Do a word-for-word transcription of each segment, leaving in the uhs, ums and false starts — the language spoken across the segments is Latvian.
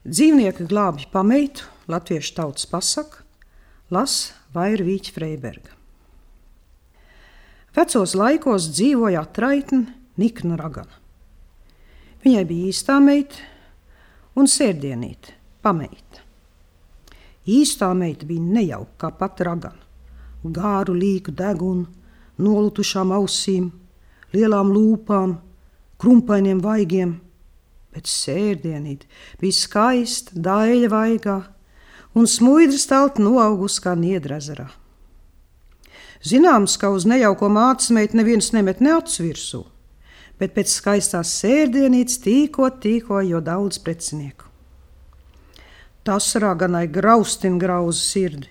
Dzīvnieki glābj pameitu, latviešu tautas pasaka, las Vaira Vīķa Freiberga. Vecos laikos dzīvoja atraitne Nikna ragana. Viņai bija īstā meita un sērdienīte, pameita. Īstā meita bija nejauka kā pati ragana, gāru līku degunu, nolutušām ausīm, lielām lūpām, krumpainiem vaigiem, bet sērdienīte bija skaista, daļa vaigā un smuidra stalta noaugus kā niedra ezerā. Zināms, ka uz nejauko mātes meitu neviens nemet ne acu virsū, bet pēc skaistās sērdienītes tīkot, tīkoja jo daudz precinieku. Tas raganai graustin grauza sirdi,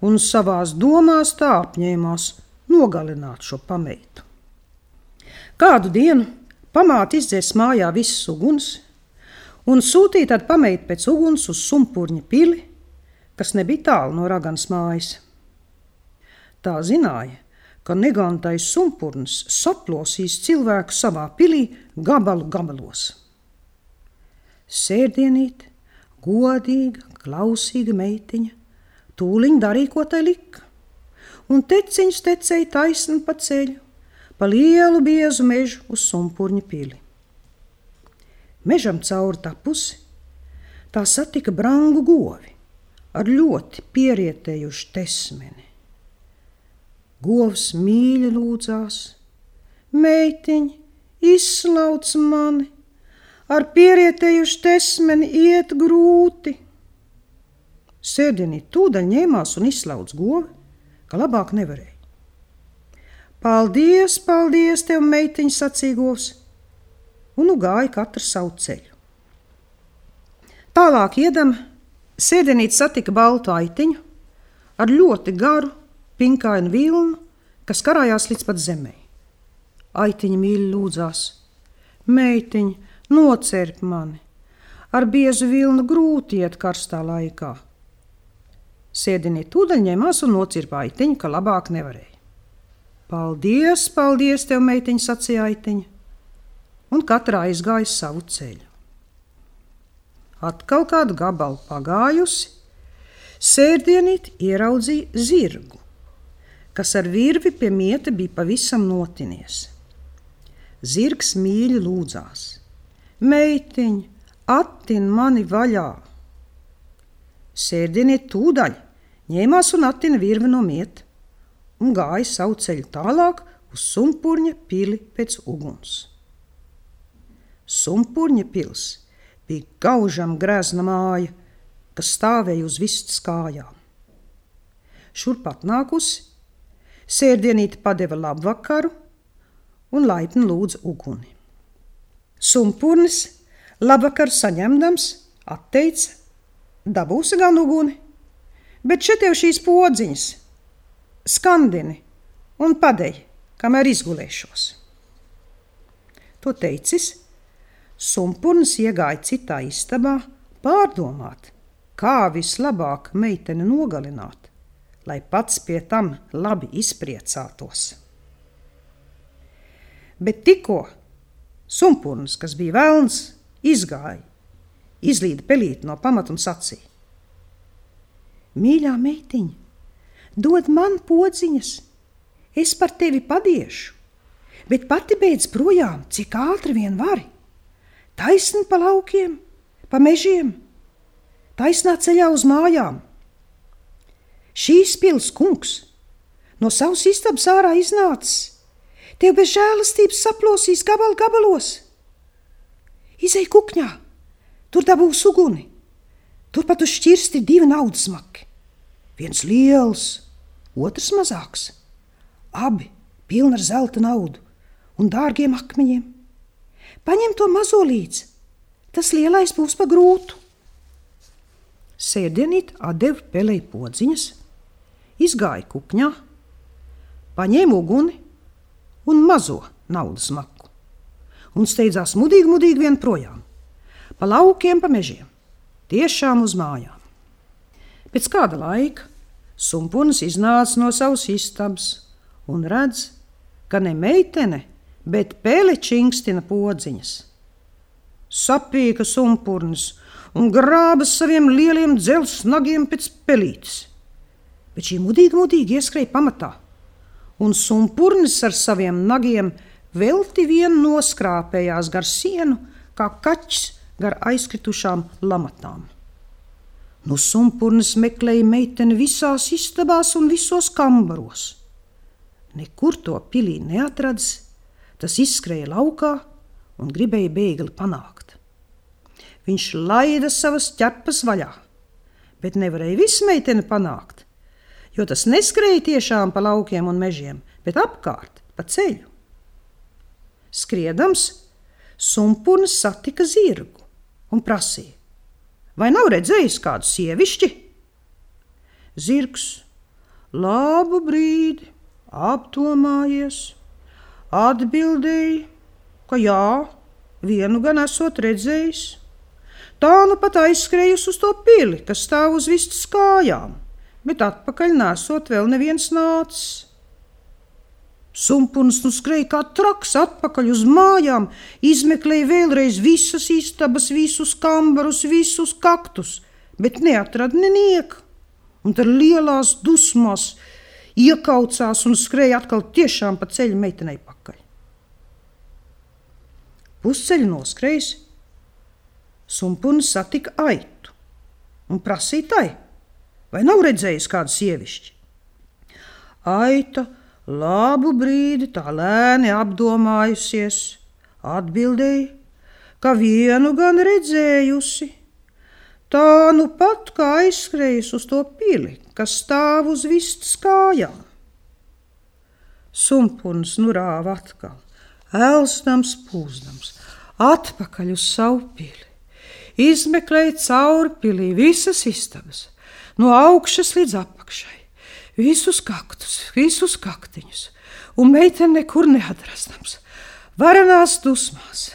un savās domās tā apņēmās nogalināt šo pameitu. Kādu dienu pamāte izdzēs mājā visas uguns un sūtīja tad pameitu pēc uguns uz Sumpurņa pili, kas nebija tālu no raganas mājas. Tā zināja, ka negantais Sumpurnis saplosīs cilvēku savā pilī gabalu gabalos. Sērdienīte, godīga, klausīga meitiņa, tūliņ darīja, ko tai lika, un teciņš tecēja taisni pa ceļu, pa lielu biezu mežu uz Sumpurņa pili. Mežam cauri tapusi, tā satika brangu govi ar ļoti pierietējušu tesmeni. Govs mīļi lūdzās: meitiņ, izslauc mani, ar pierietējušu tesmeni iet grūti. Sērdienīte tūdaļ ņēmās un izslauc govi, ka labāk nevarēja. Paldies, paldies tev, meitiņ, sacīja govs, un nu gāja katrs savu ceļu. Tālāk iedam, sērdienīte satika baltu aitiņu ar ļoti garu, pinkainu vilnu, kas karājās līdz pat zemei. Aitiņa mīļi lūdzās: meitiņ, nocerp mani, ar biezu vilnu grūti iet karstā laikā. Sērdienīte tūdaļ ņēmās un nocirpa aitiņu, ka labāk nevarēja. Paldies, paldies tev, meitiņ, sacīja aitiņa, un katra aizgāja savu ceļu. Atkal kādu gabalu pagājusi, sērdienīte ieraudzīja zirgu, kas ar virvi pie mieta bija pavisam notinies. Zirgs mīļi lūdzās: meitiņ, attin mani vaļā. Sērdienīte tūdaļ ņēmās un attina virvi no mieta un gāja savu ceļu tālāk uz Sumpurņa pili pēc uguns. Sumpurņa pils bija gaužam grezna māja, kas stāvēja uz vistas kājām. Šurpat nākusi, sērdienīte padeva labvakaru un laipni lūdza uguni. Sumpurnis labvakaru saņemdams atteica: dabūsi gan uguni, bet šeit tev šīs podziņas, skandini un padej, kamēr izgulēšos. To teicis, Sumpurnis iegāja citā istabā pārdomāt, kā vislabāk meiteni nogalināt, lai pats pie tam labi izpriecātos. Bet tikko Sumpurnis, kas bija velns, izgāja, izlīda pelīti no pamata un sacīja: mīļā meitiņa, dod man podziņas, es par tevi padiešu, bet pati beidz projām, cik ātri vien vari. Taisni pa laukiem, pa mežiem, taisnā ceļā uz mājām. Šīs pils kungs no savas istabas ārā iznācis, tev bez žēlastības saplosīs gabal gabalos. Izej kukņā, tur dabūs uguni, turpat uz šķirsti divi naudas maki. Viens liels, otrs mazāks, abi pilni ar zelta naudu un dārgiem akmeņiem. Paņem to mazo līdzi, tas lielais būs pa grūtu. Sērdienīte atdeva pelei podziņas, izgāja kukņā, paņēma uguni un mazo naudas maku un steidzās mudīgi, mudīgi vien projām, pa laukiem, pa mežiem, tiešām uz mājām. Pēc kāda laika Sumpurnis iznāca no savas istabas un redz, ka ne meitene, bet pele čingstina podziņas. Sapīka Sumpurnis un grābas saviem lieliem dzelzs nagiem pēc pelītes. Bet šī mudīgi, mudīgi ieskrēja pamatā, un sumpurnis ar saviem nagiem velti vien noskrāpējās gar sienu, kā kaķis gar aizkritušām lamatām. Nu sumpurnis meklēja meiteni visās istabās un visos kambaros. Nekur to pilī neatradis, tas izskrēja laukā un gribēja bēgli panākt. Viņš laida savas ķepas vaļā, bet nevarēja visu meiteni panākt, jo tas neskrēja tiešām pa laukiem un mežiem, bet apkārt, pa ceļu. Skriedams, sumpurnis satika zirgu un prasīja: vai nav redzējis kādu sievišķi? Zirgs labu brīdi apdomājies, atbildēja, ka jā, vienu gan esot redzējis. Tā nu pat aizskrējusi uz to pili, kas stāv uz vistas kājām, bet atpakaļ nesot vēl neviens nācis. Sumpurnis nu skrēja kā traks atpakaļ uz mājām, izmeklēja vēlreiz visas istabas, visus kambarus, visus kaktus, bet neatrada nenieku, un tad lielās dusmās iekaucās un skrēja atkal tiešām pa ceļu meitenei pakaļ. Pusceļu noskrējis, sumpurnis satika aitu un prasīja tai, vai nav redzējis kādu sievišķi. Aita labu brīdi tā lēni apdomājusies, atbildēja, ka vienu gan redzējusi. Tā nu pat kā aizskrējusi uz to pili, kas stāv uz vistas kājām. Sumpurnis nu rāva atkal, elsdams, pūzdams, atpakaļ uz savu pili. Izmeklēja cauri pilī visas istabas, no augšas līdz apakšai, visus kaktus, visus kaktiņus, un meiteni nekur neatrastams, varanās dusmās.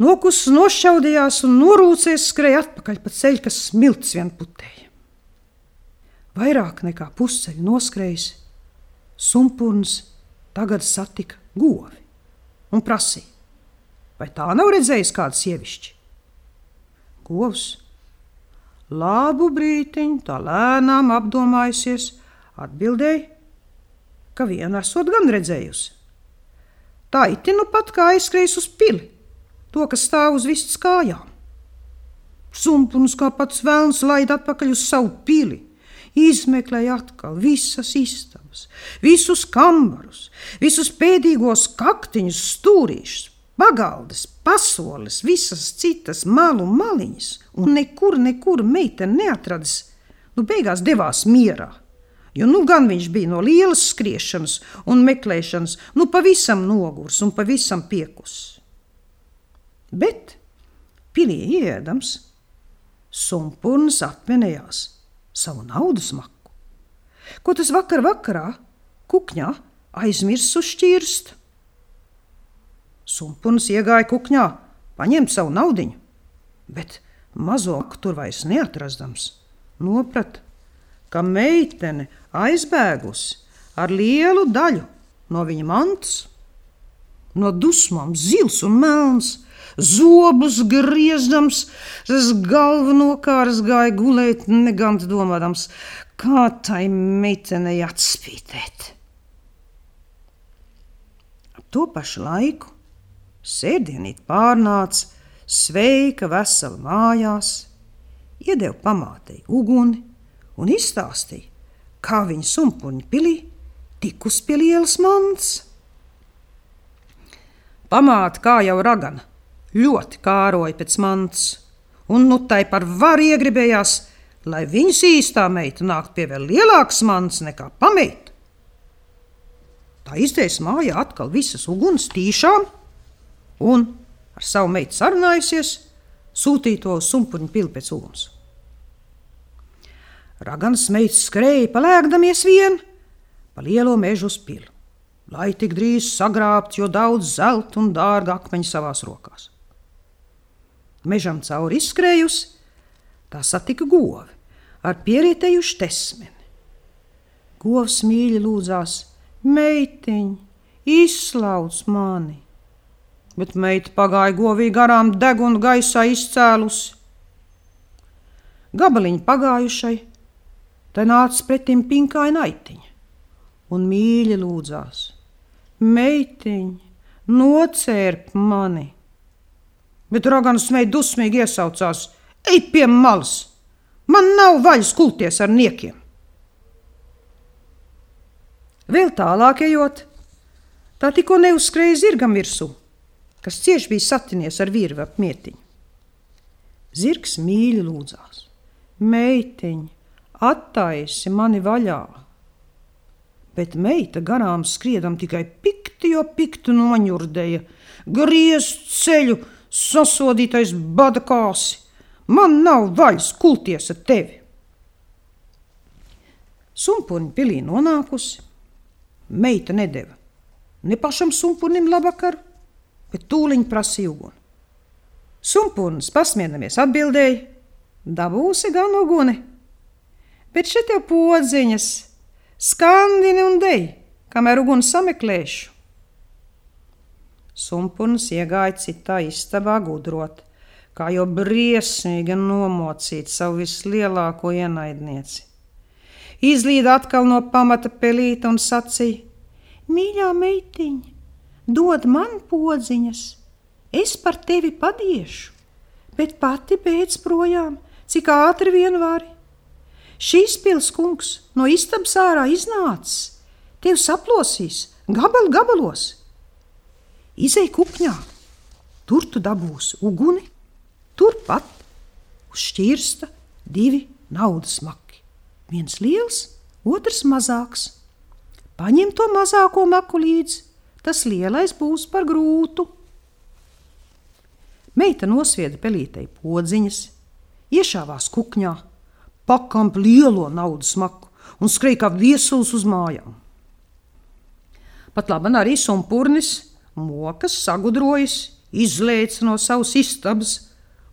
Nokus nošķaudījās un norūcies skrēja atpakaļ pa ceļu, kas smilts vien putēja. Vairāk nekā pusceļu noskrējis, sumpurnis tagad satika govi un prasīja, vai tā nav redzējis kādu sievišķi? Govs labu brītiņu tā lēnām apdomājusies, atbildēja, ka vienu esot gan redzējusi. Tā iti nu pat kā aizskrējis uz pili, to, kas stāv uz vistas kājām. Sumpurnis kā pats velns laida atpakaļ uz savu pili, izmeklēja atkal visas istabas, visus kambarus, visus pēdīgos kaktiņus, stūrīšus, pagaldes, pasoles, visas citas malu maliņas, un nekur, nekur meiteni neatradis, nu beigās devās mierā, jo nu gan viņš bija no lielas skriešanas un meklēšanas, nu pavisam nogurs un pavisam piekus. Bet pilī ieedams, sumpurnis atminējās savu naudas maku, ko tas vakar vakarā kukņā aizmirs uzšķirst. Sumpurnis iegāja kukņā, paņemt savu naudiņu, bet mazo maku tur vairs neatrastams, noprata, ka meitene aizbēgusi ar lielu daļu no viņa mantas. No dusmām zils un melns, zobus griezdams, tas galvu nokārs gāja gulēt, negant domādams, kā tai meitenei atspītēt. Ap to pašu laiku sēdienīt pārnāca, sveika, vesela mājās, iedeva pamātei uguni un izstāstīja, kā viņa sumpurņa pilī tikus pie lielas mantas. Pamāte, kā jau ragana, ļoti kāroja pēc mantas, un nu tai par varu iegribējās, lai viņas īstā meita nākt pie vēl lielākas mantas nekā pameita. Tā izdejas mājā atkal visas uguns tīšām, un ar savu meitu sarunājusies, sūtīja to uz sumpurņa pili pēc uguns. Raganas meitas skrēja palēkdamies vien pa lielo mežu uz pili, lai tik drīz sagrābt, jo daudz zelta un dārga akmeņu savās rokās. Mežam cauri izskrējusi, tā satika govi ar pierietējuši tesmeni. Govs mīļi lūdzās, meitiņ, izslauc mani, bet meita pagāja govī garām degunu gaisā izcēlusi. gabaliņu pagājušai, tai nāca pretim pinkaina aitiņa un mīļi lūdzās: meitiņ, nocērp mani. Bet raganas meita dusmīgi iesaucās: ej pie malas, man nav vaļas kulties ar niekiem. Vēl tālāk ejot, tā tikko neuzskrēja zirgam virsū, kas cieši bija satinies ar virvi ap mietiņu. Zirgs mīļi lūdzās: meitiņ, attaisi mani vaļā. Bet meita garām skriedam tikai pikti, jo piktu noņurdēja, griezt ceļu, sasodītais bada kāsi. Man nav vaļas kulties ar tevi. Sumpurņa pilī nonākusi, meita nedeva ne pašam sumpurnim labvakaru, bet tūliņ prasīja uguni. Sumpurnis pasmienamies atbildēja: dabūsi gan uguni, bet šeit jau podziņas, skandini un dej, kamēr uguni sameklēšu. Sumpurnis iegāja citā istabā gudrot, kā jau briesmīgi nomocīt savu vislielāko ienaidnieci. Izlīda atkal no pamata pelīta un sacīja: mīļā meitiņa, dod man podziņas, es par tevi padiešu, bet pati beidz projām, cik ātri vien vari. Šīs pils kungs no istabas ārā iznācis, tevi saplosīs gabalu gabalos. Izej kupņā, tur tu dabūsi uguni, turpat uz šķirsta divi naudas maki. Viens liels, otrs mazāks. Paņem to mazāko maku līdzi, tas lielais būs par grūtu. Meita nosvieda pelītei podziņas, iešāvās kukņā, pakamp lielo naudas maku un skrēja kā viesuls uz mājām. Pat laban arī sumpurnis, mokas sagudrojis, izlēca no savas istabas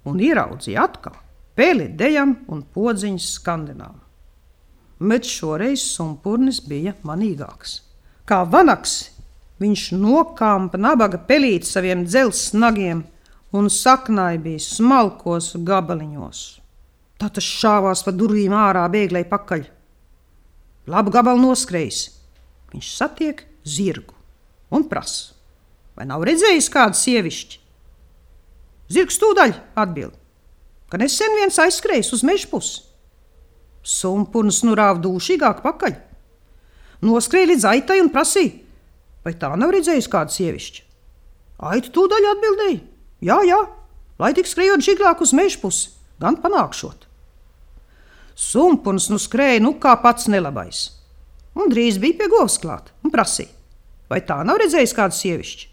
un ieraudzīja atkal peli dejam un podziņas skandinām. Bet šoreiz sumpurnis bija manīgāks. Kā vanaks, viņš nokāmpa nabaga pelīt saviem dzels snagiem un saknāja bija smalkos gabaliņos. Tā tas šāvās pa durvīm ārā bēglei pakaļ. Labu gabalu noskrējis. Viņš satiek zirgu un prasa: vai nav redzējis kādu sievišķi? Zirgs tūdaļ atbild, ka nesen viens aizskrējis uz meža pusi. Sumpurnis nu rāva dūšīgāk pakaļ. Noskrēja līdz aitai un prasīja: vai tā nav redzējis kādu sievišķi? Aita tūdaļ atbildēja: jā, jā, lai tik skrējot žiglāk uz meža pusi, gan panākšot. Sumpurnis nu skrēja nu kā pats nelabais, un drīz bija pie govs klāt un prasīja: vai tā nav redzējis kādu sievišķi?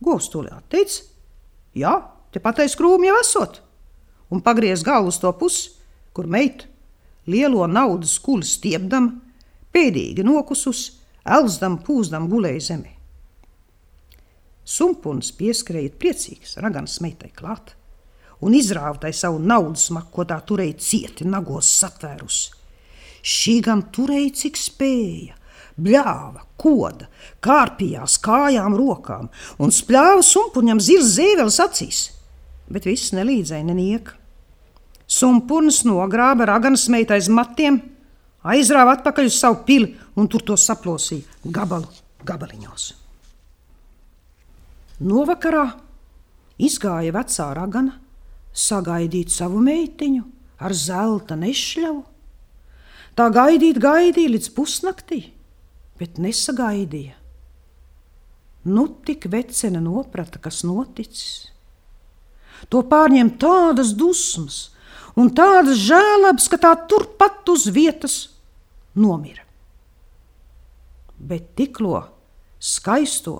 Govs tūlīt atteica: jā, te patais krūmi jau esot, un pagriez galvu uz to pusi, kur meita lielo naudas kuli stiepdam, pēdīgi nokusus, elzdam, pūzdam gulēja zemē. Sumpurnis pieskrēja priecīgs raganas meitai klāt un izrāva tai savu naudas maku, ko tā turēja cieti nagos satvērusi. Šī gan turēja cik spēja, bļāva, koda, kārpījās kājām rokām un spļāva sumpurņam zirz zēveles acīs, bet viss nelīdzēja nenieka. Sumpurnis nogrāba raganas meitu aiz matiem, aizrāva atpakaļ uz savu pili un tur to saplosīja gabalu gabaliņos. Novakarā izgāja vecā ragana sagaidīt savu meitiņu ar zelta nešļavu. Tā gaidīt gaidīja līdz pusnaktī, bet nesagaidīja. Nu tik vecene noprata, kas noticis. To pārņem tādas dusmas un tādas žēlabas, ka tā turpat uz vietas nomira. Bet tiklo skaisto,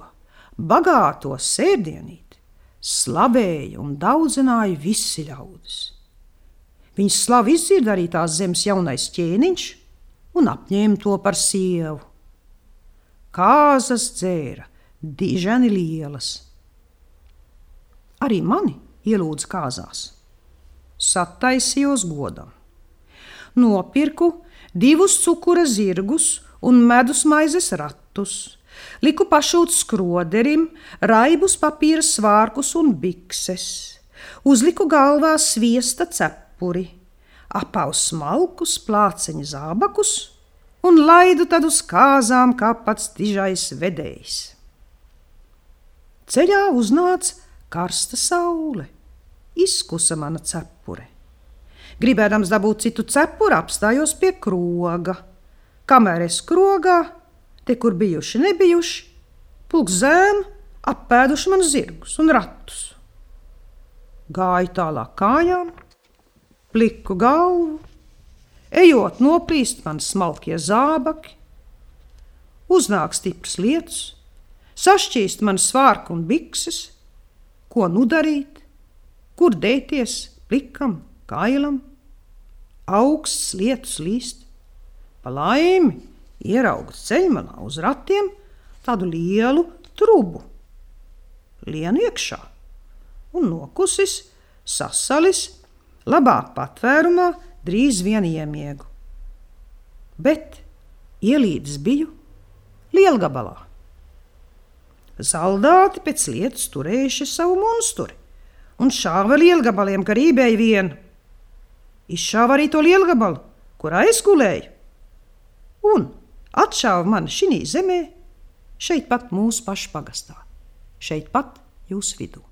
bagāto sērdienīti slavēja un daudzināja visi ļaudis. Viņas slavu izdzird arī tās zemes jaunais ķēniņš un apņēma to par sievu. Kāzas dzēra, diženi lielas. Arī mani ielūdza kāzās. Sataisījos godam. Nopirku divus cukura zirgus un medus maizes ratus. Liku pašūt skroderim, raibus papīra svārkus un bikses. Uzliku galvā sviesta cepuri. apaus smalkus plāceņu zābakus un laidu tad uz kāzām kā pats dižais vedējs. Ceļā uznāca karsta saule, izkusa mana cepure. Gribēdams dabūt citu cepuru, apstājos pie kroga. Kamēr es krogā, te, kur bijuši nebijuši, pulks zēnu appēduši man zirgus un ratus. Gāju tālāk kājām, pliku galvu, ejot noplīst man smalkie zābaki, uznāk stiprs lietus, sašķīst man svārku un bikses, ko nu darīt, kur dēties plikam, kailam, augsts lietus līst. Pa laimi ieraugu ceļmalā uz ratiem tādu lielu trubu. Lienu iekšā un nokusis, sasalis, labāk patvērumā drīz vien iemiegu. Bet ielīdis biju lielgabalā. Zaldāti pēc lietas turējuši savu monsturi un šāva lielgabaliem, ka rībēja vienu. Izšāva arī to lielgabalu, kurā es gulēju, un atšāva mani šinī zemē, šeit pat mūsu pašu pagastā, šeit pat jūsu vidū.